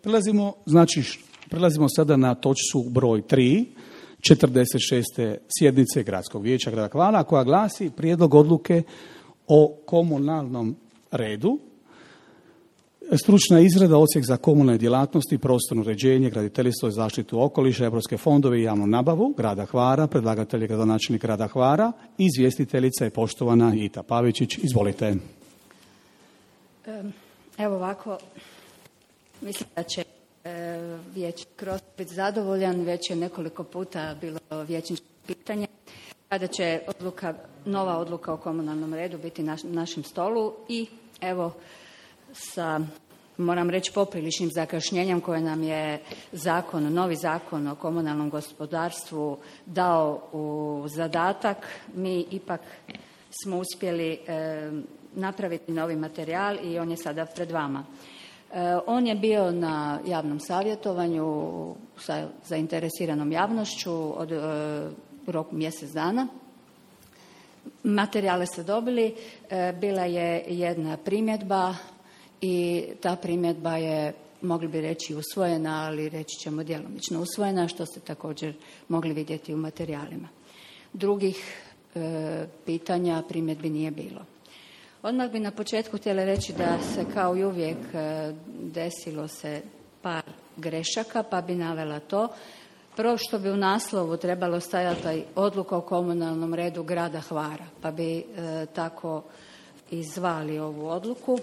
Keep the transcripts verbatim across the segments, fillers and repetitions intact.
Prelazimo, znači, prelazimo sada na točku broj tri, četrdeset šeste sjednice Gradskog vijeća grada Hvara, koja glasi prijedlog odluke o komunalnom redu. Stručna izrada, odsjek za komunalne djelatnosti, prostorno uređenje, graditeljstvo i zaštitu okoliša, europske fondove i javnu nabavu grada Hvara. Predlagatelj je gradonačelnik grada Hvara. Izvjestiteljica je poštovana Ita Pavičić. Izvolite. Evo ovako, mislim da će e, vijećnik Kroz biti zadovoljan. Već je nekoliko puta bilo vijećničko pitanje kada će odluka, nova odluka o komunalnom redu biti na našem stolu i evo sa, moram reći, popriličnim zakašnjenjem koje nam je zakon, novi zakon o komunalnom gospodarstvu dao u zadatak, mi ipak smo uspjeli e, napraviti novi materijal i on je sada pred vama. E, on je bio na javnom savjetovanju sa zainteresiranom javnošću od e, roku mjesec dana. Materijale ste dobili, e, bila je jedna primjedba i ta primjedba je, mogli bi reći, usvojena, ali reći ćemo djelomično usvojena, što ste također mogli vidjeti u materijalima. Drugih e, pitanja, primjedbi nije bilo. Odmah bi na početku htjela reći da se kao i uvijek e, desilo se par grešaka, pa bi navela to. Prvo što bi u naslovu trebalo stajati odluka o komunalnom redu grada Hvara, pa bi e, tako i zvali ovu odluku.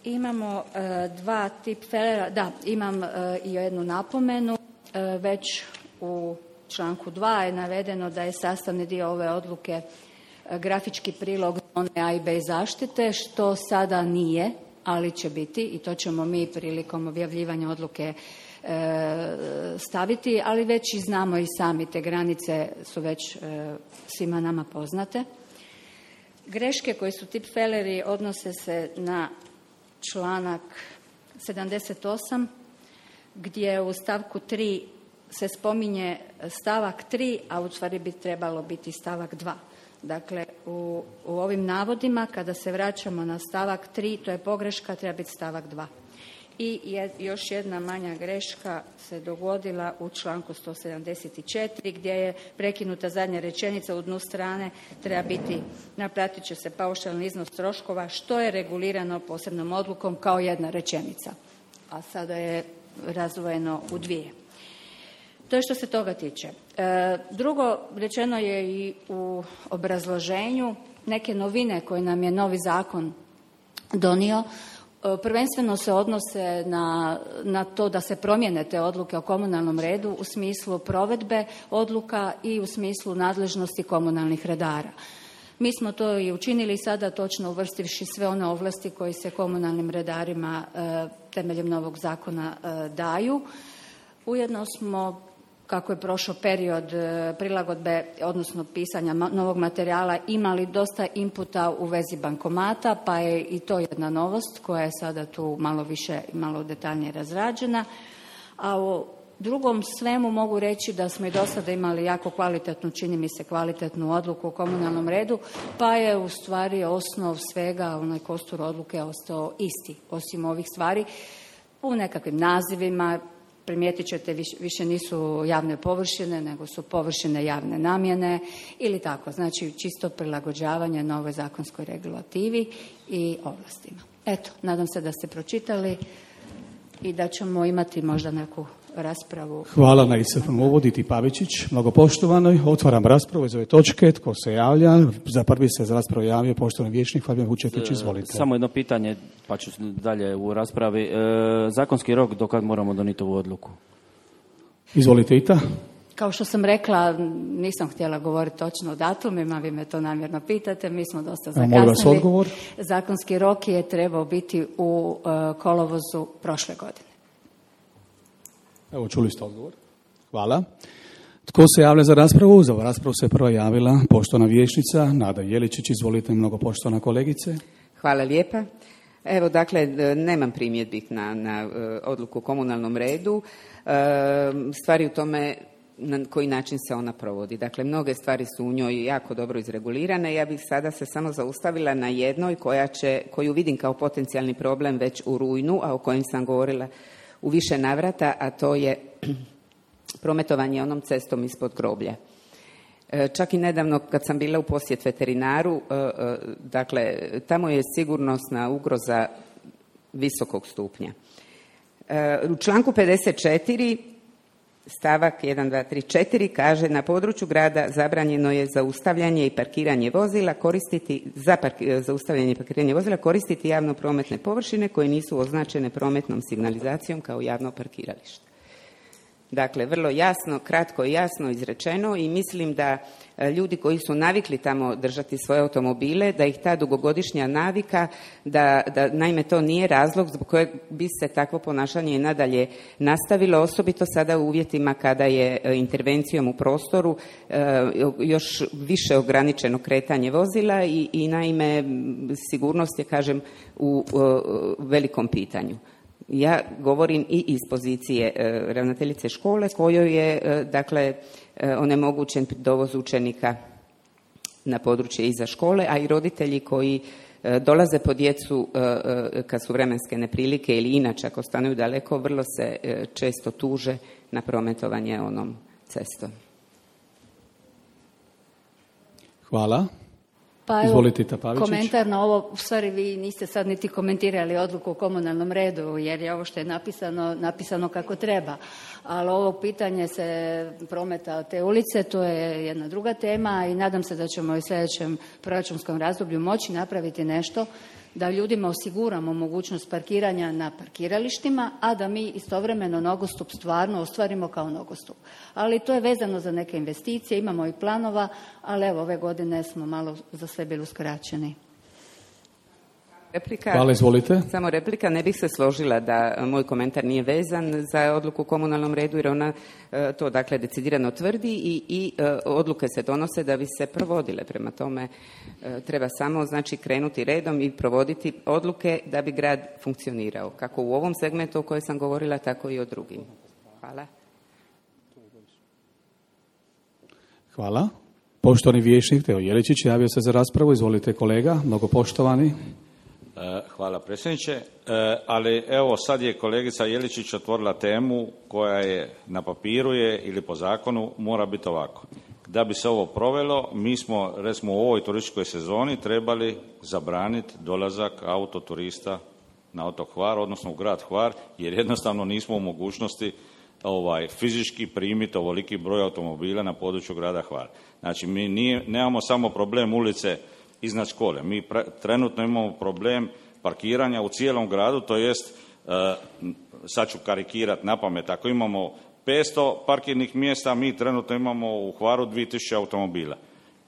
Imamo e, dva tipfelera, da, imam e, i jednu napomenu. E, već u članku dva je navedeno da je sastavni dio ove odluke e, grafički prilog zone A i B zaštite, što sada nije, ali će biti i to ćemo mi prilikom objavljivanja odluke e, staviti, ali već i znamo i sami, te granice su već e, svima nama poznate. Greške koji su tipfeleri odnose se na članak sedamdeset osam gdje u stavku tri se spominje stavak tri, a u stvari bi trebalo biti stavak dva. Dakle, u, u ovim navodima kada se vraćamo na stavak tri, to je pogreška, treba biti stavak dva. I je, još jedna manja greška se dogodila u članku sto sedamdeset četiri gdje je prekinuta zadnja rečenica u dnu strane, treba biti naplatit će se paušalni iznos troškova što je regulirano posebnom odlukom kao jedna rečenica, a sada je razdvojeno u dvije. To je što se toga tiče. E, drugo, rečeno je i u obrazloženju neke novine koje nam je novi zakon donio. Prvenstveno se odnose na, na to da se promijene te odluke o komunalnom redu u smislu provedbe odluka i u smislu nadležnosti komunalnih redara. Mi smo to i učinili sada, točno uvrstivši sve one ovlasti koje se komunalnim redarima e, temeljem novog zakona e, daju. Ujedno smo, kako je prošao period prilagodbe, odnosno pisanja novog materijala, imali dosta inputa u vezi bankomata, pa je i to jedna novost koja je sada tu malo više i malo detaljnije razrađena. A u drugom svemu mogu reći da smo i do sada imali jako kvalitetnu, čini mi se kvalitetnu odluku o komunalnom redu, pa je u stvari osnov svega, onaj kostur odluke ostao isti, osim ovih stvari u nekakvim nazivima. Primijetit ćete, više nisu javne površine, nego su površine javne namjene ili tako. Znači, čisto prilagođavanje novoj zakonskoj regulativi i ovlastima. Eto, nadam se da ste pročitali i da ćemo imati možda neku raspravu. Hvala na iscrpnom uvodu, Iti Pavičić. Mnogo poštovanoj. Otvaram raspravu iz ove točke. Tko se javlja? Za prvi se za raspravu javio poštovani vijećnik Fabijan Vučetić. Izvolite. Samo jedno pitanje, pa ću dalje u raspravi. E, zakonski rok do kad moramo donijeti ovu odluku? Izvolite, Ita. Kao što sam rekla, nisam htjela govoriti točno o datumima, vi me to namjerno pitate, mi smo dosta zakasnili. Molim vas odgovor. Zakonski rok je trebao biti u uh, kolovozu prošle godine. Evo, čuli ste odgovor. Hvala. Tko se javlja za raspravu? Za raspravu se prva javila poštovana vijećnica Nada Jeličić. Izvolite, mnogo poštovana kolegice. Hvala lijepa. Evo, dakle, nemam primjedbi na, na odluku o komunalnom redu. Stvari u tome na koji način se ona provodi. Dakle, mnoge stvari su u njoj jako dobro izregulirane. Ja bih sada se samo zaustavila na jednoj koja će, koju vidim kao potencijalni problem već u rujnu, a o kojem sam govorila u više navrata, a to je prometovanje onom cestom ispod groblja. Čak i nedavno kad sam bila u posjet veterinaru, dakle, tamo je sigurnosna ugroza visokog stupnja. U članku pedeset četiri stavak jedan, dva, tri, četiri kaže na području grada zabranjeno je zaustavljanje i parkiranje vozila koristiti, za park- zaustavljanje i parkiranje vozila koristiti javno prometne površine koje nisu označene prometnom signalizacijom kao javno parkiralište. Dakle, vrlo jasno, kratko i jasno izrečeno i mislim da ljudi koji su navikli tamo držati svoje automobile, da ih ta dugogodišnja navika, da, da naime to nije razlog zbog kojeg bi se takvo ponašanje i nadalje nastavilo, osobito sada u uvjetima kada je intervencijom u prostoru još više ograničeno kretanje vozila i, i naime sigurnost je, kažem, u, u velikom pitanju. Ja govorim i iz pozicije e, ravnateljice škole kojoj je e, dakle e, onemogućen dovoz učenika na područje iza škole, a i roditelji koji e, dolaze po djecu e, e, kad su vremenske neprilike ili inače ako stanuju daleko, vrlo se e, često tuže na prometovanje onom cestom. Hvala. Pa evo, Izvolite, Pavičić. komentar na ovo, u stvari vi niste sad niti komentirali odluku o komunalnom redu, jer je ovo što je napisano, napisano kako treba. Ali ovo pitanje se prometa te ulice, to je jedna druga tema i nadam se da ćemo u sljedećem proračunskom razdoblju moći napraviti nešto da ljudima osiguramo mogućnost parkiranja na parkiralištima, a da mi istovremeno nogostup stvarno ostvarimo kao nogostup. Ali to je vezano za neke investicije, imamo i planova, ali evo ove godine smo malo za sve bili uskraćeni. Replika, Hvala, izvolite. Samo replika, ne bih se složila da moj komentar nije vezan za odluku o komunalnom redu, jer ona e, to dakle decidirano tvrdi i, i e, odluke se donose da bi se provodile. Prema tome e, treba samo znači krenuti redom i provoditi odluke da bi grad funkcionirao. Kako u ovom segmentu o kojem sam govorila, tako i o drugim. Hvala. Hvala. Poštovani vijećnik Teo Jeličić javio se za raspravu. Izvolite kolega, mnogo poštovani. Hvala predsjedniče, ali evo sad je kolegica Jeličić otvorila temu koja je na papiru je ili po zakonu mora biti ovako. Da bi se ovo provelo, mi smo recimo u ovoj turističkoj sezoni trebali zabraniti dolazak autoturista na otok Hvar, odnosno u grad Hvar, jer jednostavno nismo u mogućnosti ovaj, fizički primiti ovoliki broj automobila na području grada Hvar. Znači mi nije, nemamo samo problem ulice iznad škole. Mi pre, trenutno imamo problem parkiranja u cijelom gradu, to jest, e, sad ću karikirati na pamet, ako imamo petsto parkirnih mjesta, mi trenutno imamo u Hvaru dvije tisuće automobila.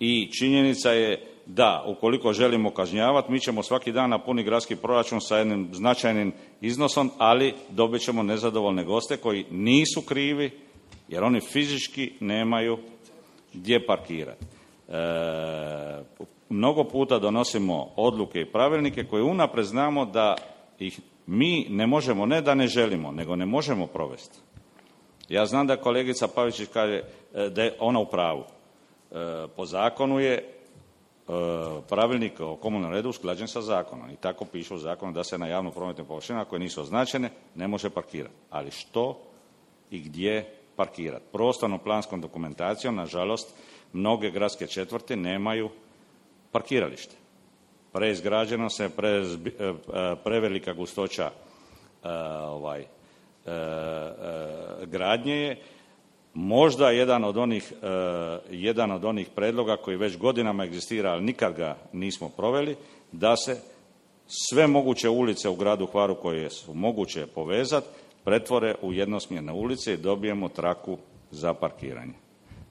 I činjenica je da, ukoliko želimo kažnjavati, mi ćemo svaki dan napuniti gradski proračun sa jednim značajnim iznosom, ali dobit ćemo nezadovoljne goste koji nisu krivi, jer oni fizički nemaju gdje parkirati. E, mnogo puta donosimo odluke i pravilnike koje unaprijed znamo da ih mi ne možemo, ne da ne želimo, nego ne možemo provesti. Ja znam da kolegica Pavičić kaže da je ona u pravu. E, po zakonu je e, pravilnik o komunalnom redu usklađen sa zakonom i tako piše u zakonu da se na javno prometnim površinama koje nisu označene ne može parkirati. Ali što i gdje parkirati? Prostorno-planskom dokumentacijom, nažalost, mnoge gradske četvrti nemaju parkiralište. Preizgrađeno se, pre, prevelika gustoća e, ovaj, e, e, gradnje je. Možda jedan od onih, e, jedan od onih predloga koji već godinama egzistira, ali nikad ga nismo proveli, da se sve moguće ulice u gradu Hvaru koje su moguće povezati pretvore u jednosmjerne ulice i dobijemo traku za parkiranje.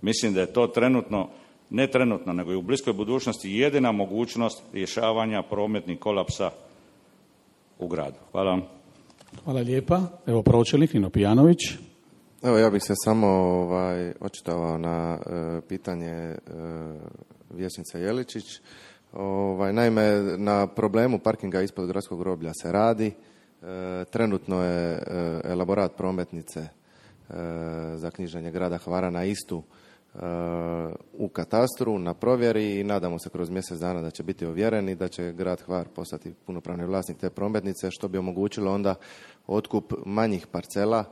Mislim da je to trenutno, ne trenutno, nego i u bliskoj budućnosti jedina mogućnost rješavanja prometnih kolapsa u gradu. Hvala vam. Hvala lijepa. Evo pročelnik Nino Pijanović. Evo ja bih se samo ovaj, očitovao na e, pitanje e, vijećnice Jeličić. Ovaj, naime, na problemu parkinga ispod gradskog groblja se radi. E, trenutno je e, elaborat prometnice za knjiženje grada Hvara na istu u katastru, na provjeri i nadamo se kroz mjesec dana da će biti ovjereni, da će grad Hvar postati punopravni vlasnik te prometnice, što bi omogućilo onda otkup manjih parcela,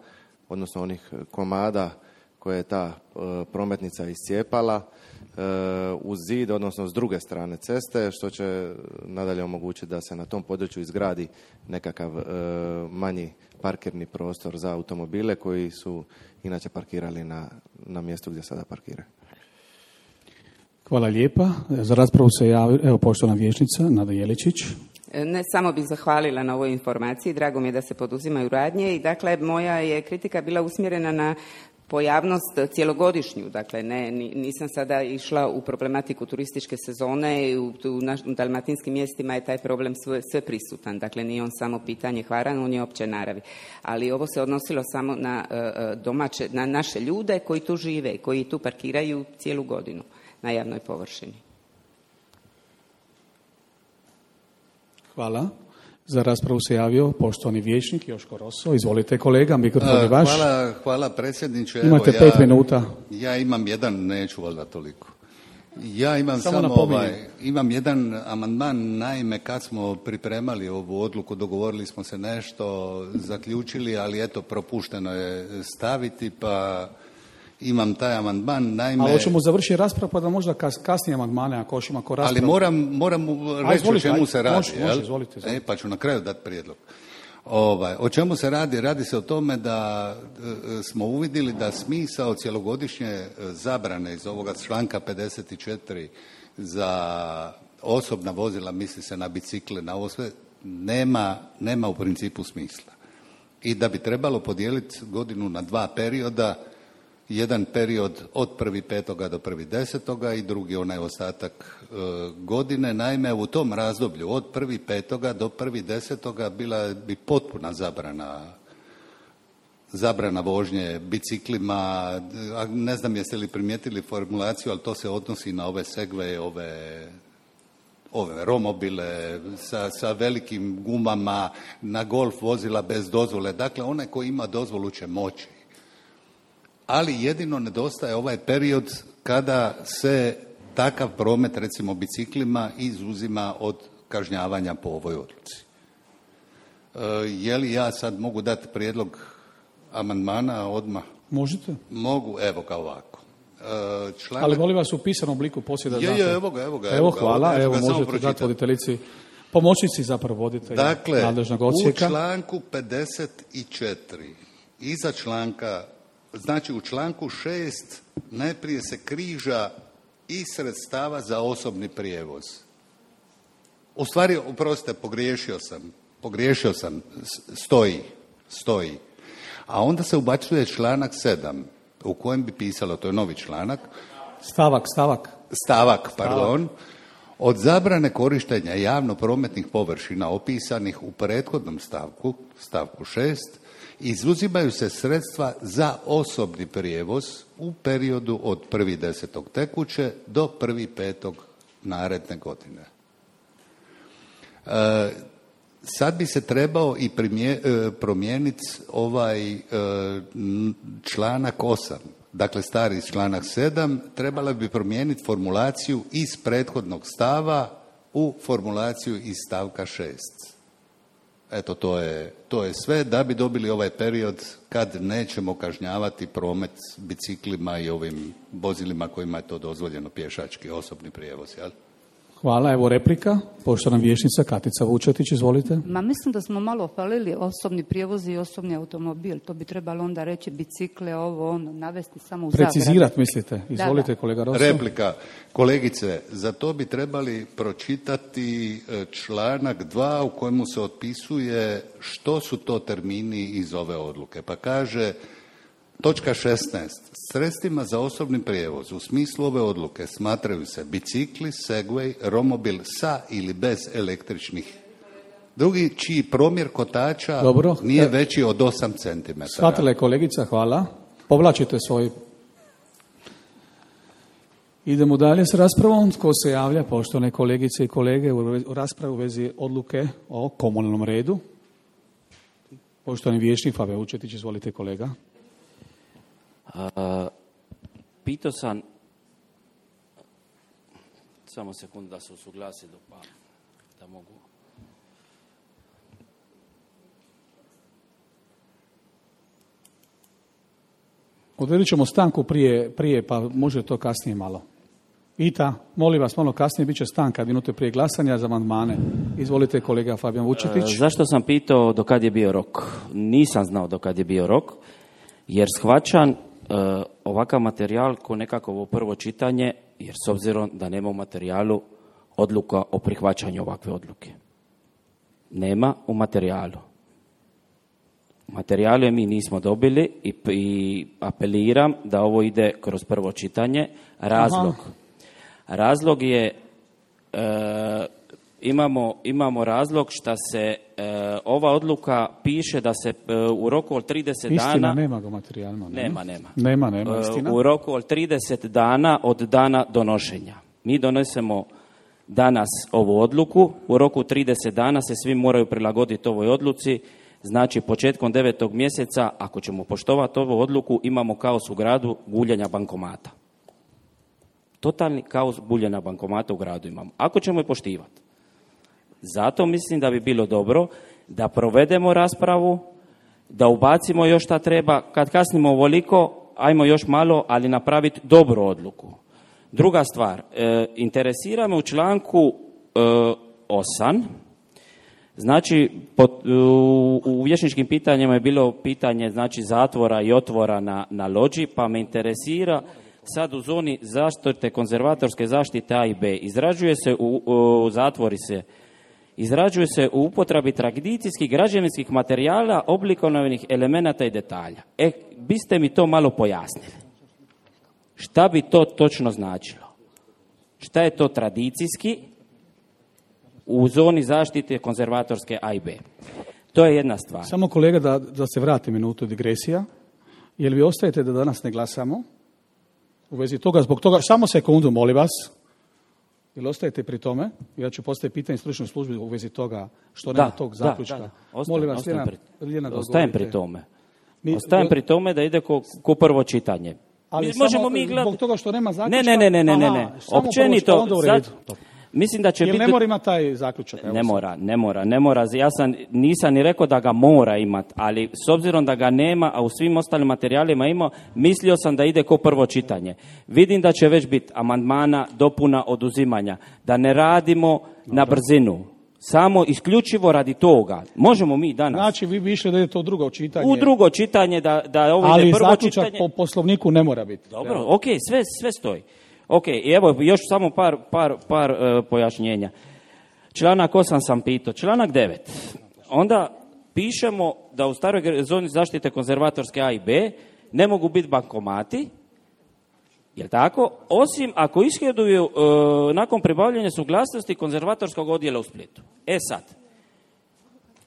odnosno onih komada koje je ta e, prometnica iscijepala e, uz zid, odnosno s druge strane ceste, što će nadalje omogućiti da se na tom području izgradi nekakav e, manji parkirni prostor za automobile koji su inače parkirali na, na mjestu gdje sada parkiraju. Hvala lijepa. Za raspravu se javi, evo, poštovana vijećnica Nada Jeličić. Ne samo bih zahvalila na ovoj informaciji, drago mi je da se poduzimaju radnje i dakle moja je kritika bila usmjerena na pojavnost cjelogodišnju, dakle ne, nisam sada išla u problematiku turističke sezone i u, u, naš, u dalmatinskim mjestima je taj problem sve, sve prisutan, dakle nije on samo pitanje Hvara, on je opće naravi, ali ovo se odnosilo samo na uh, domaće, na naše ljude koji tu žive, koji tu parkiraju cijelu godinu na javnoj površini. Hvala. Za raspravu se javio poštovani vijećnik Joško Roso. Izvolite kolega, mikrofon je vaš. Hvala, hvala predsjedniče. Imate Evo, pet ja, minuta. Ja imam jedan, neću valjda toliko. Ja imam samo, samo ovaj, imam jedan amandman, naime kad smo pripremali ovu odluku, dogovorili smo se nešto, zaključili, ali eto propušteno je staviti, pa imam taj amandman, naime... Ali hoćemo završiti raspravu pa da možda kas, kasnije amandmane ako još ima ko raspravu. Ali moram, moram reći o čemu se radi. Može, može, izvolite, izvolite. E, pa ću na kraju dati prijedlog. Ovaj, o čemu se radi? Radi se o tome da e, smo uvidjeli da smisao cjelogodišnje zabrane iz ovoga članka pedeset četiri za osobna vozila, misli se na bicikle, na ovo sve, nema, nema u principu smisla. I da bi trebalo podijeliti godinu na dva perioda, jedan period od prvi petoga do prvi desetoga i drugi onaj ostatak e, godine. Naime, u tom razdoblju od prvi petoga do prvi desetoga bila bi potpuna zabrana zabrana vožnje biciklima. Ne znam jeste li primijetili formulaciju, ali to se odnosi na ove segveje, ove ove romobile sa, sa velikim gumama, na golf vozila bez dozvole. Dakle, onaj koji ima dozvolu će moći. Ali jedino nedostaje ovaj period kada se takav promet, recimo biciklima, izuzima od kažnjavanja po ovoj odluci. E, je li ja sad mogu dati prijedlog amandmana odmah? Možete. Mogu, evo kao ovako. E, članak... Ali molim vas u pisanom obliku poslije da znate. Je, je, evo ga, evo ga. Evo, hvala, evo, evo možete dati voditeljici, pomoćnici zapravo voditelja dakle, nadležnog odsjeka. U članku pedeset četiri, iza članka, znači u članku šest najprije se križa i sredstava za osobni prijevoz. U stvari, oprostite, pogriješio sam, pogriješio sam, stoji, stoji. A onda se ubacuje članak sedam, u kojem bi pisalo, to je novi članak. Stavak, stavak. Stavak, pardon. Od zabrane korištenja javno prometnih površina opisanih u prethodnom stavku, stavku šest, izuzimaju se sredstva za osobni prijevoz u periodu od prvi desetog tekuće do prvi petog naredne godine. E, sad bi se trebao i primje, e, promijeniti ovaj e, članak osam. Dakle, stari članak sedam, trebala bi promijeniti formulaciju iz prethodnog stava u formulaciju iz stavka šest. Eto, to je, to je sve da bi dobili ovaj period kad nećemo kažnjavati promet biciklima i ovim vozilima kojima je to dozvoljeno, pješački osobni prijevoz, jel? Hvala, evo replika. Poštovana vijećnica Katica Vučetić, izvolite. Ma mislim da smo malo falili osobni prijevoz i osobni automobil. To bi trebalo onda reći bicikle, ovo, ono, navesti samo u zabranu. Precizirat mislite? Izvolite, da, da. Kolega Rosso. Replika. Kolegice, za to bi trebali pročitati članak dva u kojemu se otpisuje što su to termini iz ove odluke. Pa kaže, točka šesnaest. Sredstvima za osobni prijevoz u smislu ove odluke smatraju se bicikli, segway, romobil sa ili bez električnih. Drugi, čiji promjer kotača Dobro. nije veći od osam centimetara. Shvatila je kolegica, hvala. Povlačite svoj... Idemo dalje s raspravom. Tko se javlja, poštovane kolegice i kolege, u raspravu u vezi odluke o komunalnom redu? Poštovani vijećnik Fabio Vučetić, izvolite kolega. Uh, pitao sam, samo sekundu da se usuglasili, pa da mogu. Odredit ćemo stanku prije, prije, pa može to kasnije malo. Ita, molim vas, malo kasnije, bit će stanka minute prije glasanja za amandmane. Izvolite, kolega Fabijan Vučetić. E, zašto sam pitao do kad je bio rok? Nisam znao do kad je bio rok, jer shvaćam e, ovakav materijal ko nekako prvo čitanje, jer s obzirom da nema u materijalu odluka o prihvaćanju ovakve odluke. Nema u materijalu. Materijale mi nismo dobili i, i apeliram da ovo ide kroz prvo čitanje. Razlog. Aha. Razlog je, e, imamo, imamo razlog što se e, ova odluka piše da se e, u roku od trideset istina, dana... Istina, nema ga materijalno. Nema, nema. Nema, nema, istina. E, u roku od trideset dana od dana donošenja. Mi donesemo danas ovu odluku, u roku trideset dana se svi moraju prilagoditi ovoj odluci. Znači, početkom devetog mjeseca, ako ćemo poštovati ovu odluku, imamo kaos u gradu guljenja bankomata. Totalni kaos guljenja bankomata u gradu imamo. Ako ćemo je poštivati. Zato mislim da bi bilo dobro da provedemo raspravu, da ubacimo još šta treba. Kad kasnimo ovoliko, ajmo još malo, ali napraviti dobru odluku. Druga stvar, e, interesira me u članku e, osam. Znači, pot, u, u vječničkim pitanjima je bilo pitanje znači, zatvora i otvora na, na lođi, pa me interesira sad u zoni zaštite konzervatorske zaštite A i B. Izrađuje se u, u zatvori se, izrađuje se u upotrebi tradicijskih građevinskih materijala, oblikovnih elemenata i detalja. E, biste mi to malo pojasnili. Šta bi to točno značilo? Šta je to tradicijski u zoni zaštite konzervatorske A i B? To je jedna stvar. Samo kolega da, da se vrati minutu digresija. Jel vi ostajete da danas ne glasamo? U vezi toga, zbog toga, samo sekundu, molim vas. Jel ostajete pri tome? Ja ću postaviti pitanje stručnoj službi u vezi toga što nema tog zaključka. Da, da, da. Ostajem, molim vas, Ljena, Ljena, ostajem pri tome. Mi, ostajem pri tome da ide ko, ko prvo čitanje. Ali mi, samo možemo mi gled... zbog toga što nema zaključka? Ne, ne, ne, ne, ne, ne. Općenito, sad, mislim da će Jel biti... ne mora imati taj zaključak? Ne mora, ne mora, ne mora. Ja sam, nisam ni rekao da ga mora imati, ali s obzirom da ga nema, a u svim ostalim materijalima ima, mislio sam da ide ko prvo čitanje. Vidim da će već biti amandmana, dopuna, oduzimanja. Da ne radimo Dobre. na brzinu. Samo isključivo radi toga. Možemo mi danas... Znači, vi bi išli da je to drugo čitanje. U drugo čitanje, da, da ovo ali ide prvo čitanje. Ali zaključak po poslovniku ne mora biti. Dobro, Evo. ok, sve, sve stoji. Ok, i evo još samo par, par, par uh, pojašnjenja. Članak osam sam pitao, članak devet. Onda pišemo da u staroj zoni zaštite konzervatorske A i B ne mogu biti bankomati, jel tako? Osim ako ishoduju uh, nakon pribavljanja suglasnosti konzervatorskog odjela u Splitu. E sad,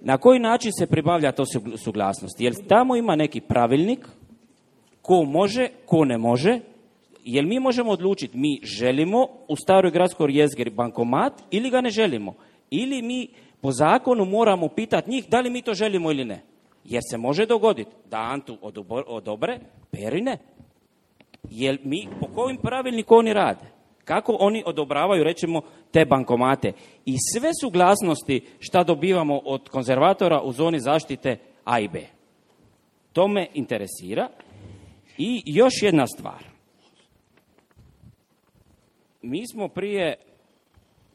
na koji način se pribavlja to suglasnost? Jer tamo ima neki pravilnik ko može, ko ne može. Jel mi možemo odlučiti, mi želimo u staroj gradskoj jezgri bankomat ili ga ne želimo? Ili mi po zakonu moramo pitati njih da li mi to želimo ili ne? Jer se može dogoditi da Antu odobre, Peri ne. Jel mi, po kojim pravilniku oni rade? Kako oni odobravaju, recimo, te bankomate? I sve suglasnosti šta dobivamo od konzervatora u zoni zaštite A i B. To me interesira. I još jedna stvar. Mi smo prije,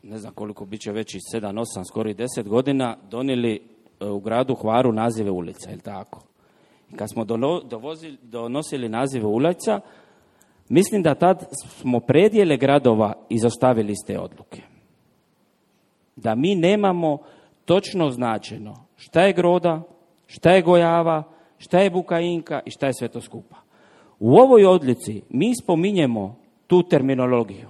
ne znam koliko bit će već i sedam, osam, skoro i deset godina, donijeli u gradu Hvaru nazive ulica, je li tako? I kad smo dovozili, donosili nazive ulica, mislim da tad smo predjele gradova izostavili iz te odluke. Da mi nemamo točno značeno šta je Groda, šta je Gojava, šta je Bukainka i šta je sve to skupa. U ovoj odluci mi spominjemo tu terminologiju.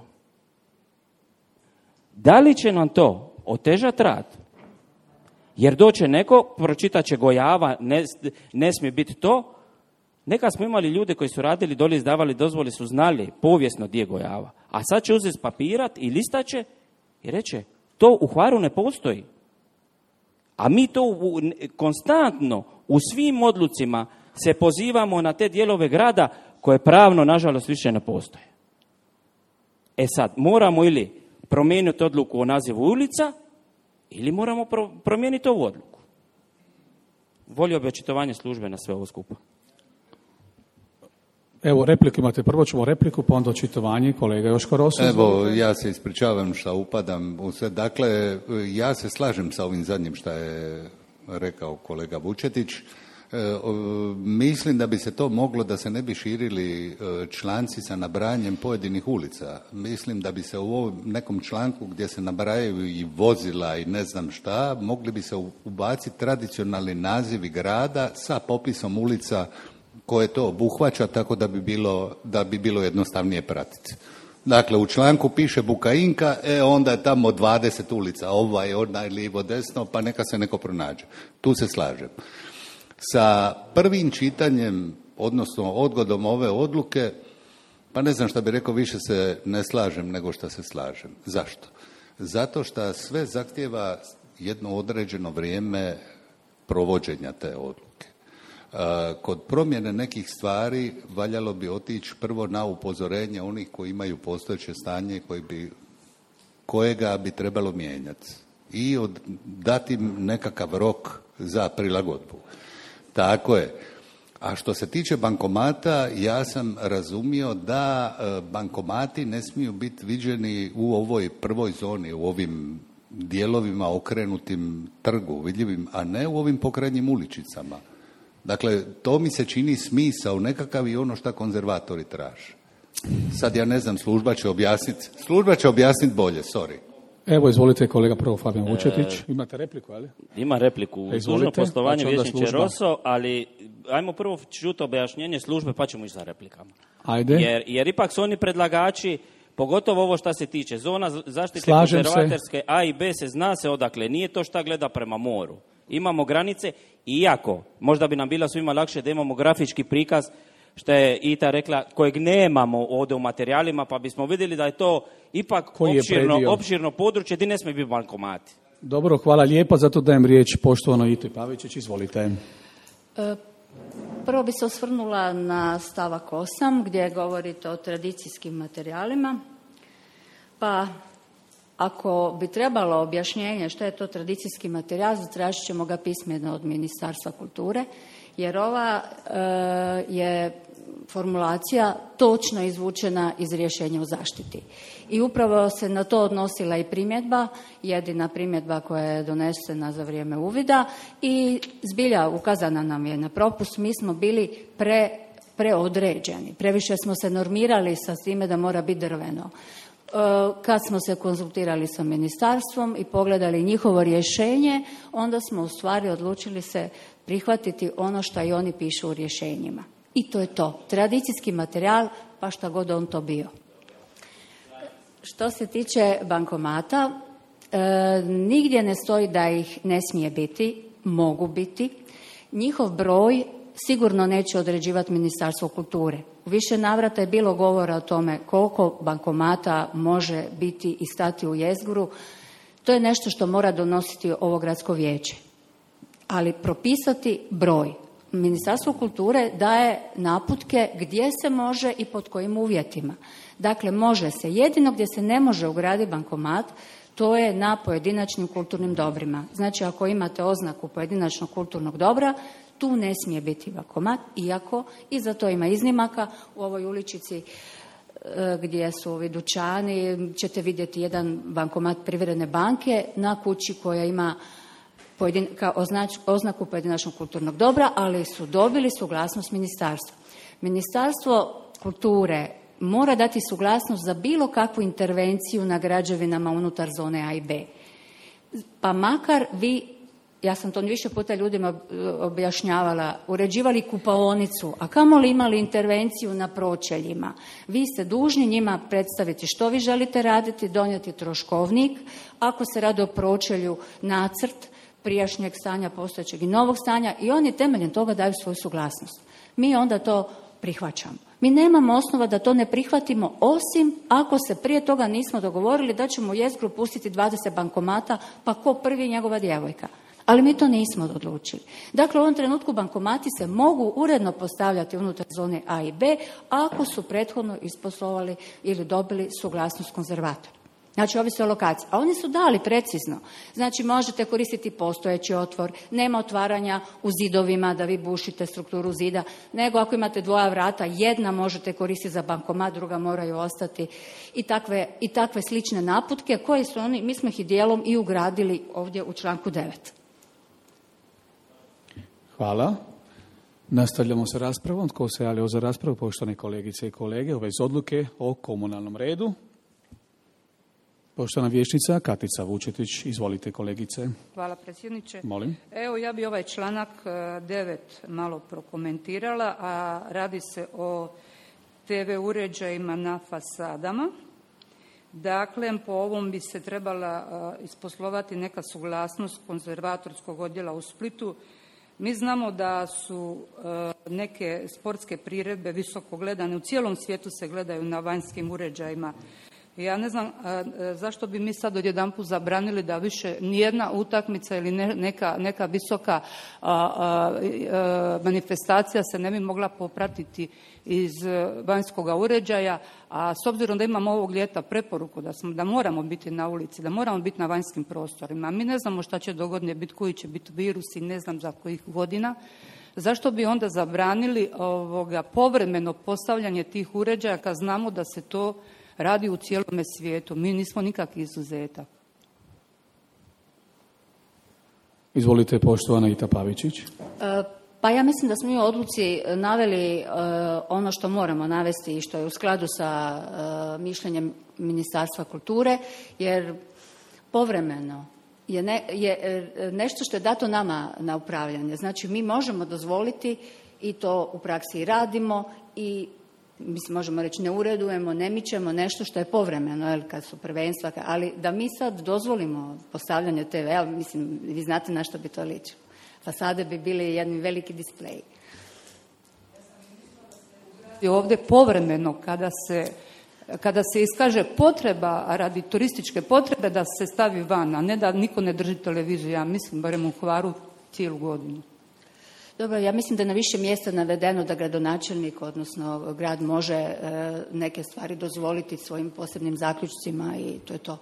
Da li će nam to otežati rad? Jer doće neko, pročitat će Gojava, ne, ne smije biti to. Neka smo imali ljude koji su radili doli, izdavali dozvoli, su znali povijesno gdje je Gojava. A sad će uzeti papirat i listaće i reće, to u Hvaru ne postoji. A mi to u, konstantno u svim odlucima se pozivamo na te dijelove grada koje pravno, nažalost, više ne postoje. E sad, moramo ili promijeniti odluku o nazivu ulica, ili moramo pro- promijeniti ovu odluku. Volio bi očitovanje službe na sve ovo skupa. Evo, repliku imate. Prvo ćemo repliku, pa onda očitovanje. Kolega Joško Rosu. Evo, ja se ispričavam što upadam u sve. Dakle, ja se slažem sa ovim zadnjim što je rekao kolega Vučetić. E, o, mislim da bi se to moglo, da se ne bi širili e, članci sa nabrajanjem pojedinih ulica. Mislim da bi se u ovom nekom članku gdje se nabrajaju i vozila i ne znam šta, mogli bi se ubaciti tradicionalni nazivi grada sa popisom ulica koje to obuhvaća, tako da bi bilo, da bi bilo jednostavnije pratiti. Dakle, u članku piše Bukainka, e onda je tamo dvadeset ulica, ovaj, onaj, lijevo, desno, pa neka se neko pronađe. Tu se slažem. Sa prvim čitanjem, odnosno odgodom ove odluke, pa ne znam šta bi rekao, više se ne slažem nego što se slažem. Zašto? Zato što sve zahtjeva jedno određeno vrijeme provođenja te odluke. Kod promjene nekih stvari valjalo bi otići prvo na upozorenje onih koji imaju postojeće stanje koji bi, kojega bi trebalo mijenjati i od, dati im nekakav rok za prilagodbu. Tako je. A što se tiče bankomata, ja sam razumio da bankomati ne smiju biti viđeni u ovoj prvoj zoni, u ovim dijelovima okrenutim trgu, vidljivim, a ne u ovim pokrajnjim uličicama. Dakle, to mi se čini smisao nekakav i ono što konzervatori traže. Sad ja ne znam, služba će objasniti, služba će objasniti bolje, sorry. Evo, izvolite kolega prvo Fabijan Vučetić. E, Imate repliku, ali? Ima repliku. Dužno poslovanje vijećniče Roso, ali ajmo prvo čuti objašnjenje službe pa ćemo ići za replikama. Ajde. Jer, jer ipak su oni predlagači, pogotovo ovo što se tiče zona zaštite Slažem konzervatorske se. A i B se zna se odakle. Nije to šta gleda prema moru. Imamo granice, iako možda bi nam bilo svima lakše da imamo grafički prikaz, što je Ita rekla, kojeg nemamo ovdje u materijalima, pa bismo vidjeli da je to ipak opširno, opširno područje gdje ne smije biti bankomati. Dobro, hvala lijepa, zato dajem riječ poštovanoj Iti Pavičić, izvolite. E, prvo bi se osvrnula na stavak osam gdje govorite o tradicijskim materijalima, pa ako bi trebalo objašnjenje što je to tradicijski materijal, zatražit ćemo ga pismeno od Ministarstva kulture, jer ova e, je formulacija točno izvučena iz rješenja o zaštiti. I upravo se na to odnosila i primjedba, jedina primjedba koja je donesena za vrijeme uvida i zbilja ukazana nam je na propust. Mi smo bili pre, preodređeni, previše smo se normirali sa time da mora biti drveno. Kad smo se konzultirali sa ministarstvom i pogledali njihovo rješenje, onda smo u stvari odlučili se prihvatiti ono što i oni pišu u rješenjima. I to je to. Tradicijski materijal, pa šta god on to bio. Što se tiče bankomata, e, nigdje ne stoji da ih ne smije biti, mogu biti. Njihov broj sigurno neće određivati Ministarstvo kulture. U više navrata je bilo govora o tome koliko bankomata može biti i stati u jezgru. To je nešto što mora donositi ovo gradsko vijeće. Ali propisati broj. Ministarstvo kulture daje naputke gdje se može i pod kojim uvjetima. Dakle, može se. Jedino gdje se ne može ugraditi bankomat, to je na pojedinačnim kulturnim dobrima. Znači, ako imate oznaku pojedinačnog kulturnog dobra, tu ne smije biti bankomat, iako i za to ima iznimaka. U ovoj uličici gdje su ovi dućani ćete vidjeti jedan bankomat Privredne banke na kući koja ima pojedin, kao označ, oznaku pojedinačnog kulturnog dobra, ali su dobili suglasnost ministarstva. Ministarstvo kulture mora dati suglasnost za bilo kakvu intervenciju na građevinama unutar zone A i B. Pa makar vi, ja sam to više puta ljudima objašnjavala, uređivali kupaonicu, a kamoli imali intervenciju na pročeljima. Vi ste dužni njima predstaviti što vi želite raditi, donijeti troškovnik, ako se radi o pročelju nacrt prijašnjeg stanja, postojećeg i novog stanja, i oni temeljem toga daju svoju suglasnost. Mi onda to prihvaćamo. Mi nemamo osnova da to ne prihvatimo, osim ako se prije toga nismo dogovorili da ćemo u jezgru pustiti dvadeset bankomata, pa ko prvi njegova djevojka. Ali mi to nismo odlučili. Dakle, u ovom trenutku bankomati se mogu uredno postavljati unutar zone A i B ako su prethodno isposlovali ili dobili suglasnost konzervatora. Znači, ovisi o lokaciji. A oni su dali precizno. Znači, možete koristiti postojeći otvor, nema otvaranja u zidovima da vi bušite strukturu zida, nego ako imate dvoja vrata, jedna možete koristiti za bankomat, druga moraju ostati i takve, i takve slične naputke koje su oni, mi smo ih i dijelom i ugradili ovdje u članku devet. Hvala. Nastavljamo sa raspravom. Tko se javio za raspravu? Poštovane kolegice i kolege, u vezi odluke o komunalnom redu. Poštovana vijećnica Katica Vučetić, izvolite kolegice. Hvala predsjedniče. Molim. Evo, ja bi ovaj članak devet malo prokomentirala, a radi se o te ve uređajima na fasadama. Dakle, po ovom bi se trebala isposlovati neka suglasnost konzervatorskog odjela u Splitu. Mi znamo da su neke sportske priredbe visoko gledane, u cijelom svijetu se gledaju na vanjskim uređajima. Ja ne znam a, a, zašto bi mi sad odjedanput zabranili da više nijedna utakmica ili ne, neka, neka visoka a, a, a, manifestacija se ne bi mogla popratiti iz vanjskog uređaja, a s obzirom da imamo ovog ljeta preporuku da, smo, da moramo biti na ulici, da moramo biti na vanjskim prostorima, mi ne znamo šta će dogodine biti, koji će biti virusi, ne znam za kojih godina, zašto bi onda zabranili ovoga, povremeno postavljanje tih uređaja kad znamo da se to radi u cijelome svijetu. Mi nismo nikakvi izuzetak. Izvolite, poštovana Ita Pavičić. E, pa ja mislim da smo mi u odluci naveli e, ono što moramo navesti i što je u skladu sa e, mišljenjem Ministarstva kulture, jer povremeno je, ne, je e, nešto što je dato nama na upravljanje. Znači, mi možemo dozvoliti i to u praksi i radimo i mislim, možemo reći ne uredujemo, ne mičemo nešto što je povremeno, jel, kad su prvenstva, ali da mi sad dozvolimo postavljanje te ve, mislim, vi znate na što bi to ličilo. Fasade bi bili jedni veliki displeji. Ovdje povremeno, kada se, kada se iskaže potreba radi turističke potrebe, da se stavi van, a ne da niko ne drži televiziju, ja mislim, barem u Hvaru, cijelu godinu. Dobro, ja mislim da je na više mjesta navedeno da gradonačelnik, odnosno grad, može e, neke stvari dozvoliti svojim posebnim zaključcima i to je to.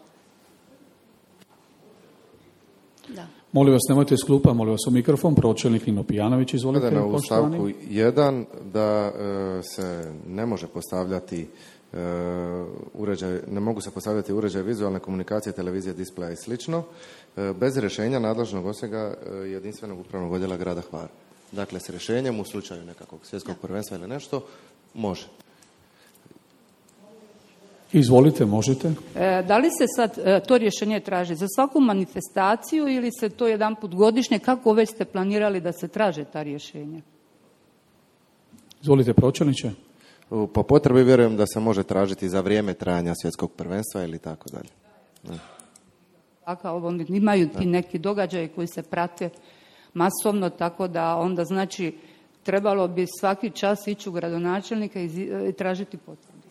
Da. Molim vas, nemojte iz klupa, molim vas u mikrofon, pročelnik Nino Pijanović, izvolite. U stavku jedan da e, se ne može postavljati e, uređaj, ne mogu se postavljati uređaj vizualne komunikacije, televizije, displeja i slično, e, bez rješenja nadležnog osjega e, jedinstvenog upravnog odjela grada Hvara. Dakle, s rješenjem u slučaju nekakvog svjetskog prvenstva ili nešto, može. Izvolite, možete. E, da li se sad e, to rješenje traži za svaku manifestaciju ili se to jedan put godišnje? Kako već ste planirali da se traže ta rješenja? Izvolite, pročelniče. Po potrebi vjerujem da se može tražiti za vrijeme trajanja svjetskog prvenstva ili tako dalje. Tako, imaju ti neki događaji koji se prate masovno, tako da onda znači trebalo bi svaki čas ići u gradonačelnika i tražiti potvrdu.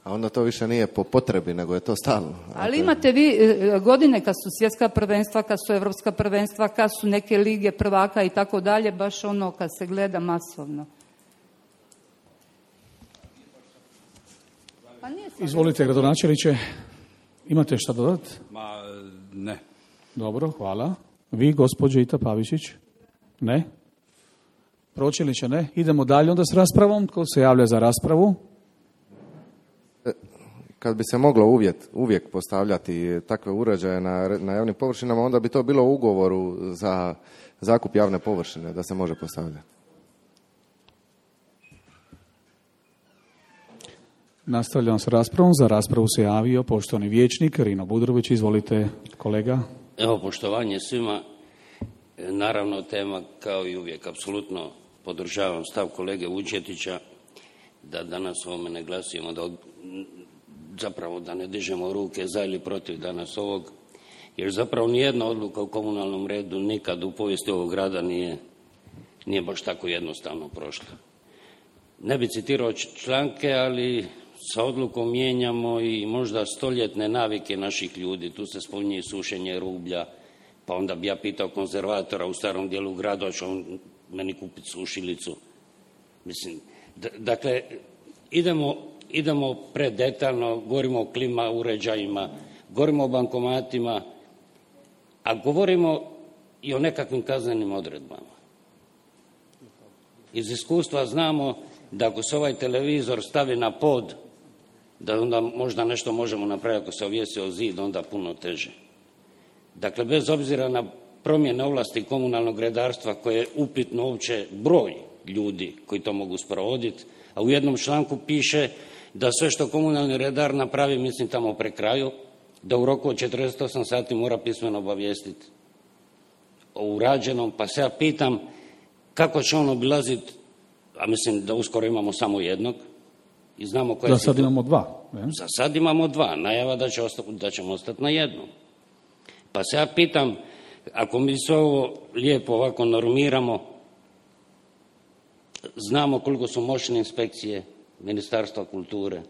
A onda to više nije po potrebi, nego je to stalno. Ali imate vi godine kad su svjetska prvenstva, kad su evropska prvenstva, kad su neke lige prvaka i tako dalje, baš ono kad se gleda masovno. Pa izvolite, gradonačelniče, imate šta dodati? Ma, ne. Dobro, hvala. Vi, gospođo Ita Pavičić? Ne? Pročelniče, ne? Idemo dalje onda s raspravom. Tko se javlja za raspravu? Kad bi se moglo uvjet, uvijek postavljati takve uređaje na, na javnim površinama, onda bi to bilo u ugovoru za zakup javne površine, da se može postavljati. Nastavljam s raspravom. Za raspravu se javio poštovani vijećnik Rino Budrović. Izvolite, kolega. Evo, poštovanje svima. Naravno, tema kao i uvijek, apsolutno podržavam stav kolege Vučetića da danas ovome ne glasujemo, da od, zapravo da ne dižemo ruke za ili protiv danas ovog, jer zapravo nijedna odluka u komunalnom redu nikad u povijesti ovog grada nije, nije baš tako jednostavno prošla. Ne bi citirao članke, ali sa odlukom mijenjamo i možda stoljetne navike naših ljudi. Tu se spominje sušenje rublja, Pa onda bi ja pitao konzervatora u starom dijelu grada, će on meni kupiti sušilicu. Mislim, d- dakle, idemo, idemo predetaljno, govorimo o klima uređajima, govorimo o bankomatima, a govorimo i o nekakvim kaznenim odredbama. Iz iskustva znamo da ako se ovaj televizor stavi na pod, da onda možda nešto možemo napraviti, ako se ovjesi o zid, onda puno teže. Dakle, bez obzira na promjene ovlasti komunalnog redarstva koje je upitno uopće broj ljudi koji to mogu sprovoditi, a u jednom članku piše da sve što komunalni redar napravi, mislim tamo pre kraju, da u roku od četrdeset osam sati mora pismeno obavijestiti o urađenom, pa se ja pitam kako će on obilaziti, a mislim da uskoro imamo samo jednog i znamo koje... Za sad imamo dva. Ne? Za sad imamo dva, najava da, će osta, da ćemo ostati na jednom. Pa se ja pitam, ako mi sve ovo lijepo ovako normiramo, znamo koliko su moćne inspekcije Ministarstva kulture,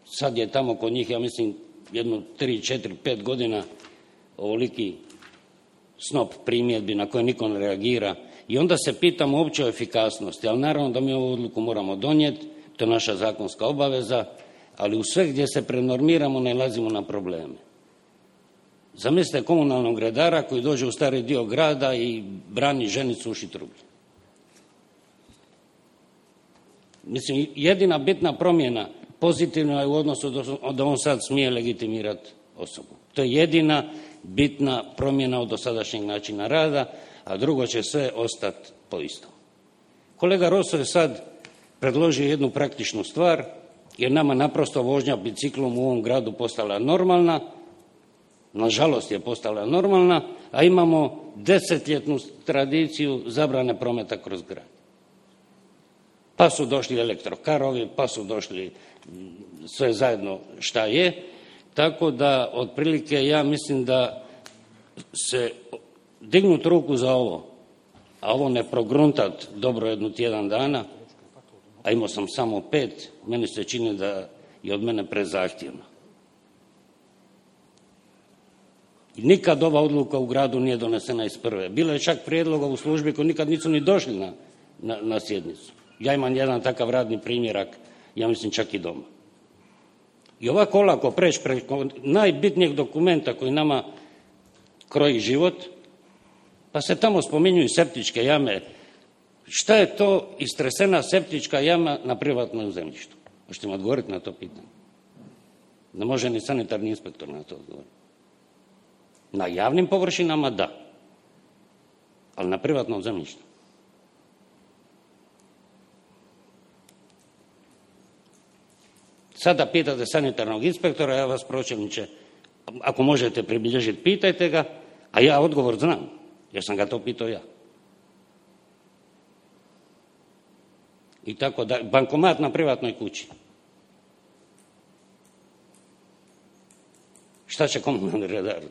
sad je tamo kod njih, ja mislim, jedno tri, četiri, pet godina ovoliki snop primjedbi na koje niko ne reagira i onda se pitamo uopće o efikasnosti, ali naravno da mi ovu odluku moramo donijeti, to je naša zakonska obaveza, ali u sve gdje se prenormiramo nailazimo na probleme. Zamislite komunalnog redara koji dođe u stari dio grada i brani ženicu uši trublje. Mislim, jedina bitna promjena pozitivna je u odnosu da on sad smije legitimirati osobu. To je jedina bitna promjena od dosadašnjeg načina rada, a drugo će sve ostati po istom. Kolega Roso je sad predložio jednu praktičnu stvar, jer nama naprosto vožnja biciklom u ovom gradu postala normalna, nažalost je postala normalna, a imamo desetljetnu tradiciju zabrane prometa kroz grad. Pa su došli elektrokarovi, pa su došli sve zajedno šta je, tako da otprilike ja mislim da se dignut ruku za ovo, a ovo ne progruntat dobro jednu tjedan dana, a imao sam samo pet, meni se čini da je od mene prezahtjevno. I nikad ova odluka u gradu nije donesena iz prve. Bilo je čak prijedloga u službi koji nikad nisu ni došli na, na, na sjednicu. Ja imam jedan takav radni primjerak, ja mislim čak i doma. I ovako olako preći preko najbitnijeg dokumenta koji nama kroji život, pa se tamo spominjuju septičke jame. Šta je to istresena septička jama na privatnom zemljištu? Možete mi odgovoriti na to pitanje? Ne može ni sanitarni inspektor na to odgovoriti. Na javnim površinama da, ali na privatnom zemljištu. Sada pitate sanitarnog inspektora, ja vas pročelniče, ako možete pribilježiti, pitajte ga, a ja odgovor znam, jer sam ga to pitao ja. I tako da, bankomat na privatnoj kući. Šta će komunalni redar?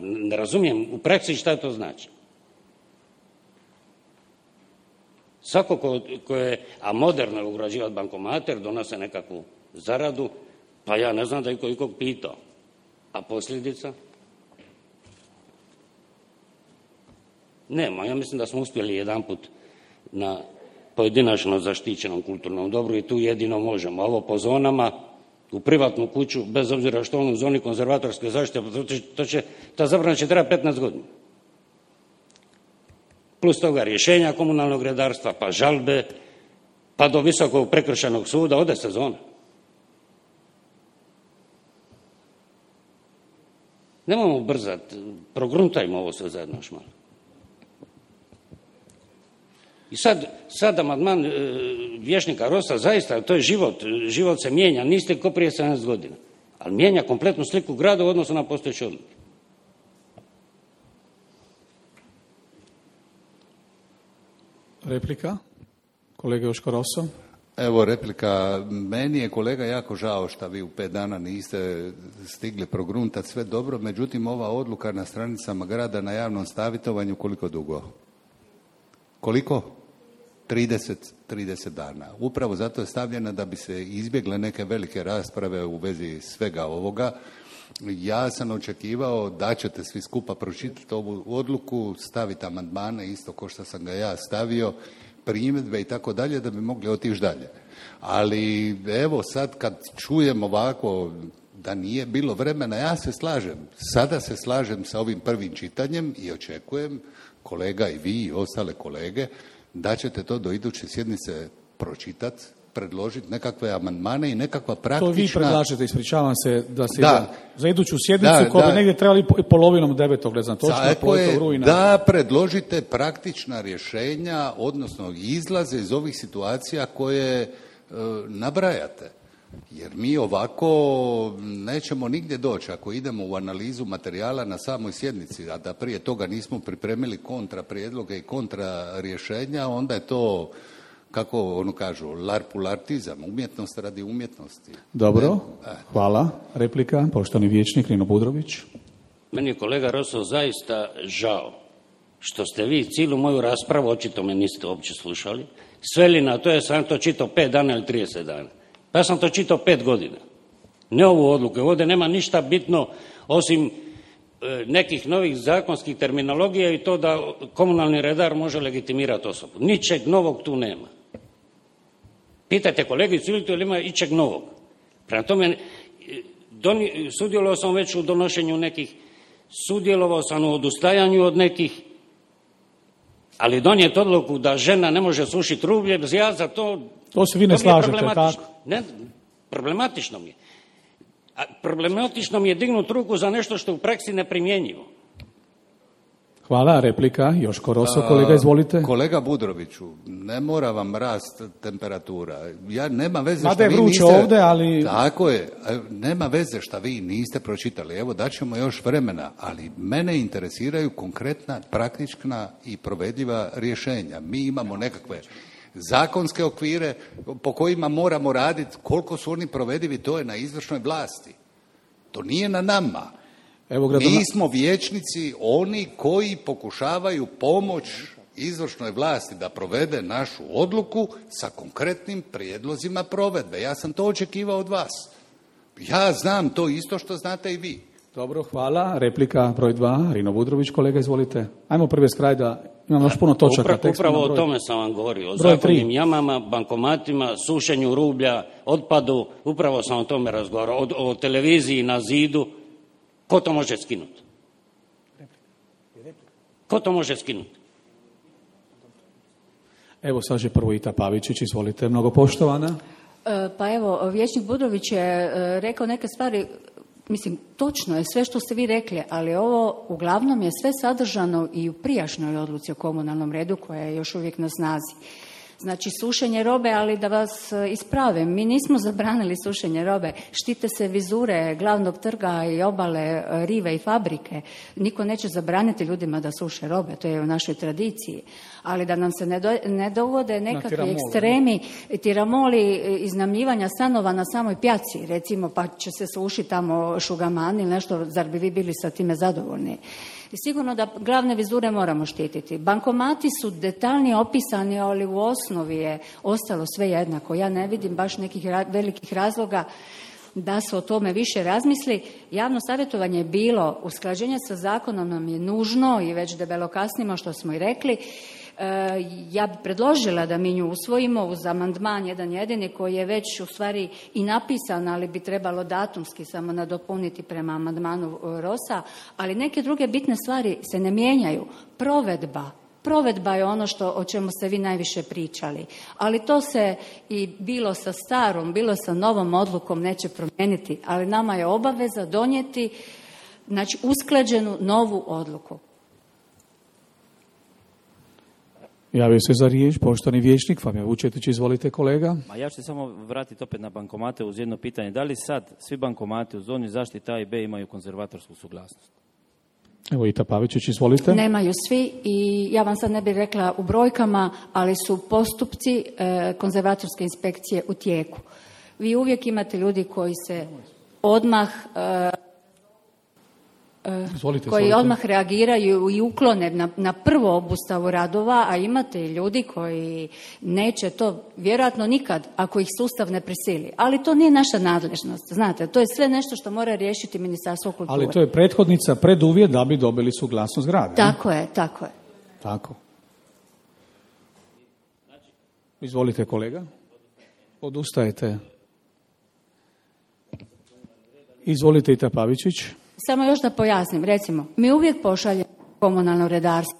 Ne razumijem u praksi šta to znači. Svako ko, ko je, a moderno je ugrađivati bankomate, donose nekakvu zaradu, pa ja ne znam da je ko ikog pitao. A posljedica? Nema, ja mislim da smo uspjeli jedanput na pojedinačno zaštićenom kulturnom dobru i tu jedino možemo. Ovo po zonama, u privatnu kuću, bez obzira što on u zoni konzervatorske zaštite, to će, ta zabrana će trebati petnaest godina. Plus toga rješenja komunalnog redarstva, pa žalbe, pa do Visokog prekršajnog suda, ode sezona. Nemojmo brzati, progruntajmo ovo sve zajedno još malo. I sad, sad amandman e, vječnika Rosa, zaista, to je život, život se mijenja, niste ko prije sedamnaest godina, ali mijenja kompletnu sliku grada u odnosu na postojeće odluke. Replika? Kolega Joško Roso. Evo replika, meni je kolega jako žao što vi u pet dana niste stigli progruntati sve dobro, međutim ova odluka na stranicama grada na javnom savjetovanju koliko dugo? Koliko? trideset dana. Upravo zato je stavljena da bi se izbjegle neke velike rasprave u vezi svega ovoga Ja sam očekivao da ćete svi skupa pročitati ovu odluku, staviti amandmane isto kao što sam ga ja stavio, primjedbe i tako dalje, da bi mogli otići dalje. Ali evo sad kad čujem ovako da nije bilo vremena, ja se slažem. Sada se slažem sa ovim prvim čitanjem i očekujem, kolega i vi i ostale kolege, da ćete to do iduće sjednice pročitati, predložiti nekakve amandmane i nekakva praktična... To vi predlažete, ispričavam se, da se da. ide za iduću sjednicu, koja bi negdje trebali polovinom devetog, ne znam, točno, polovinom rujna. Da predložite praktična rješenja, odnosno izlaze iz ovih situacija koje e, nabrajate. Jer mi ovako nećemo nigdje doći ako idemo u analizu materijala na samoj sjednici, a da prije toga nismo pripremili kontra prijedloge i kontra rješenja, onda je to, kako ono kažu, larpulartizam, umjetnost radi umjetnosti. Dobro, hvala. Replika, poštovani vijećnik Rino Budrović. Meni je kolega Roso zaista žao što ste vi cijelu moju raspravu, očito me niste uopće slušali, sveli na to, jer sam to čitao pet dana ili trideset dana. Pa ja sam to čitao pet godina. Ne ovu odluku. Ovdje nema ništa bitno osim e, nekih novih zakonskih terminologija i to da komunalni redar može legitimirati osobu. Ničeg novog tu nema. Pitajte kolegicu Ilitu ili ima ičeg novog. Prema tome, doni, sudjelovao sam već u donošenju nekih, sudjelovao sam u odustajanju od nekih, ali donijeti odluku da žena ne može sušiti rublje, ja za to... To se vi ne slažete, tako? Ne, problematično mi je. A problematično mi je dignuti ruku za nešto što u praksi ne primjenjivo. Hvala, replika, Joško Roso, kolega, izvolite. Kolega Budroviću, ne mora vam rast temperatura. Ja, nema veze Mada što je vi vruće niste... ovdje, ali... Tako je, nema veze što vi niste pročitali. Evo, daćemo još vremena, ali mene interesiraju konkretna, praktična i provedljiva rješenja. Mi imamo nekakve zakonske okvire po kojima moramo raditi, koliko su oni provedivi, to je na izvršnoj vlasti. To nije na nama. Evo, gradona... Mi smo vijećnici, oni koji pokušavaju pomoć izvršnoj vlasti da provede našu odluku sa konkretnim prijedlozima provedbe. Ja sam to očekivao od vas. Ja znam to isto što znate i vi. Dobro, hvala. Replika broj dva, Rino Budrović, kolega, izvolite. Ajmo prvi s kraj da imamo još puno točaka. Upravo, upravo o tome sam vam govorio. O zakonnim jamama, bankomatima, sušenju rublja, otpadu. Upravo sam o tome razgovarao. O, o televiziji na zidu. Ko to može skinuti? Ko to može skinuti? Evo sad je prvo Ita Pavičić, izvolite, mnogo poštovana. E, pa evo, vijećnik Budrović je e, rekao neke stvari, mislim, točno je sve što ste vi rekli, ali ovo uglavnom je sve sadržano i u prijašnjoj odluci o komunalnom redu koja je još uvijek na snazi. Znači, sušenje robe, ali da vas ispravim, mi nismo zabranili sušenje robe, štite se vizure glavnog trga i obale, rive i fabrike. Niko neće zabraniti ljudima da suše robe, to je u našoj tradiciji. Ali da nam se ne, do, ne dovode nekakvi ekstremi, tiramoli iznajmljivanja stanova na samoj pjaci, recimo, pa će se sušiti tamo šugamani ili nešto, zar bi vi bili sa time zadovoljni? I sigurno da glavne vizure moramo štititi. Bankomati su detaljnije opisani, ali u osnovi je ostalo sve jednako. Ja ne vidim baš nekih velikih razloga da se o tome više razmisli. Javno savjetovanje je bilo, usklađenje sa zakonom nam je nužno i već debelo kasnimo, što smo i rekli. Ja bih predložila da mi nju usvojimo uz amandman jedan jedini koji je već u stvari i napisan, ali bi trebalo datumski samo nadopuniti prema amandmanu Rosa, ali neke druge bitne stvari se ne mijenjaju. Provedba. Provedba je ono što, o čemu ste vi najviše pričali, ali to se i bilo sa starom, bilo sa novom odlukom neće promijeniti, ali nama je obaveza donijeti, znači, usklađenu novu odluku. Javio se za riječ poštovani vijećnik Fabio Vučetić, izvolite kolega. Ma ja ću se samo vratiti opet na bankomate uz jedno pitanje. Da li sad svi bankomati u zoni zaštite A i B imaju konzervatorsku suglasnost? Evo Ita Pavičić, izvolite. Nemaju svi i ja vam sad ne bih rekla u brojkama, ali su postupci e, konzervatorske inspekcije u tijeku. Vi uvijek imate ljudi koji se odmah... E, Izvolite, koji izvolite. odmah reagiraju i uklone na, na prvo obustavu radova, a imate i ljudi koji neće to vjerojatno nikad ako ih sustav ne prisili. Ali to nije naša nadležnost, znate, to je sve nešto što mora riješiti Ministarstvo kulture. Ali to je prethodnica, preduvjet da bi dobili suglasnost grada. Tako je, tako je. Tako. Izvolite, kolega. Odustajete. Izvolite, Ita Pavičić. Samo još da pojasnim, recimo, mi uvijek pošaljemo komunalno redarstvo,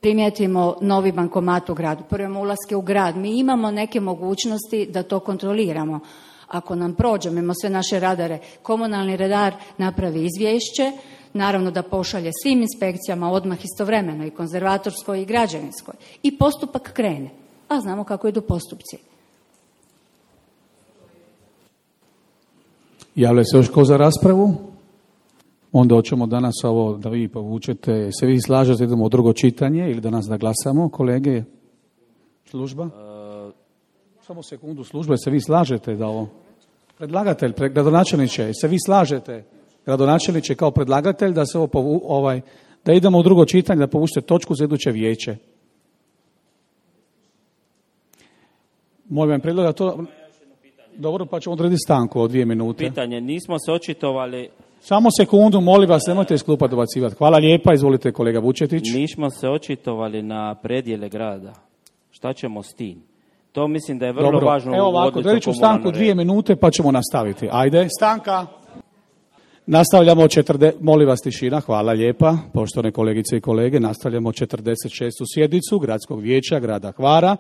primijetimo novi bankomat u gradu, prvimo ulaske u grad, mi imamo neke mogućnosti da to kontroliramo. Ako nam prođe, mimo sve naše radare, komunalni redar napravi izvješće, naravno da pošalje svim inspekcijama odmah istovremeno, i konzervatorskoj i građevinskoj, i postupak krene. A znamo kako idu postupci. Javlja se još ko za raspravu? Onda hoćemo danas ovo da vi povučete. Se vi slažete, idemo u drugo čitanje ili danas da glasamo, kolege? Služba? Uh, Samo sekundu, služba, se vi slažete da ovo... Predlagatelj, pre, gradonačelniče, se vi slažete, gradonačelniče, kao predlagatelj da se ovo povu, ovaj, da idemo u drugo čitanje, da povučete točku za iduće vijeće? Molim vam predlog da to... Dobro, pa ćemo odrediti stanku od dvije minute. Pitanje, nismo se očitovali... Samo sekundu, molim vas, nemojte iz klupa dobacivati. Hvala lijepa, izvolite kolega Vučetić. Nismo se očitovali na predjele grada. Šta ćemo s tim? To mislim da je vrlo Dobro, važno. Evo ovako, odreći ću stanku dvije minute pa ćemo nastaviti. Ajde, stanka. Nastavljamo, četrde... molim vas tišina, hvala lijepa, poštovane kolegice i kolege, nastavljamo četrdeset šestu sjednicu Gradskog vijeća grada Hvara.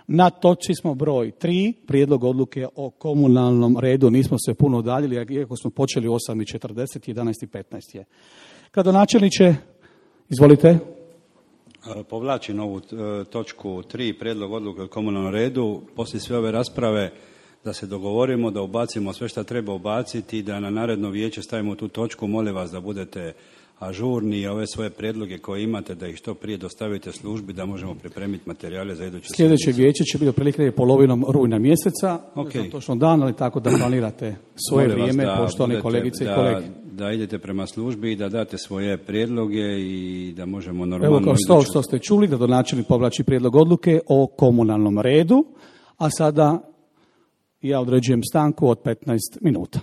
Na točci smo broj tri, prijedlog odluke o komunalnom redu. Nismo se puno udaljili, iako smo počeli u osam i četrdeset, jedanaest i petnaest je. Gradonačelniče, izvolite. Povlačim ovu točku tri, prijedlog odluke o komunalnom redu. Poslije sve ove rasprave da se dogovorimo, da ubacimo sve što treba ubaciti i da na naredno vijeće stavimo tu točku. Molim vas da budete ažurni i ove svoje prijedloge koje imate da ih što prije dostavite službi da možemo pripremiti materijale za iduću Sljedeće sjednicu. vijeće će biti otprilike polovinom rujna mjeseca, okay. Ne znam točno dan, ali tako da planirate svoje Molim vas vrijeme, da poštovane budete- kolegice da, i kolege. Da idete prema službi i da date svoje prijedloge i da možemo normalno... Evo kao što, iduću- što ste čuli, gradonačelnik povlači prijedlog odluke o komunalnom redu, a sada ja određujem stanku od petnaest minuta.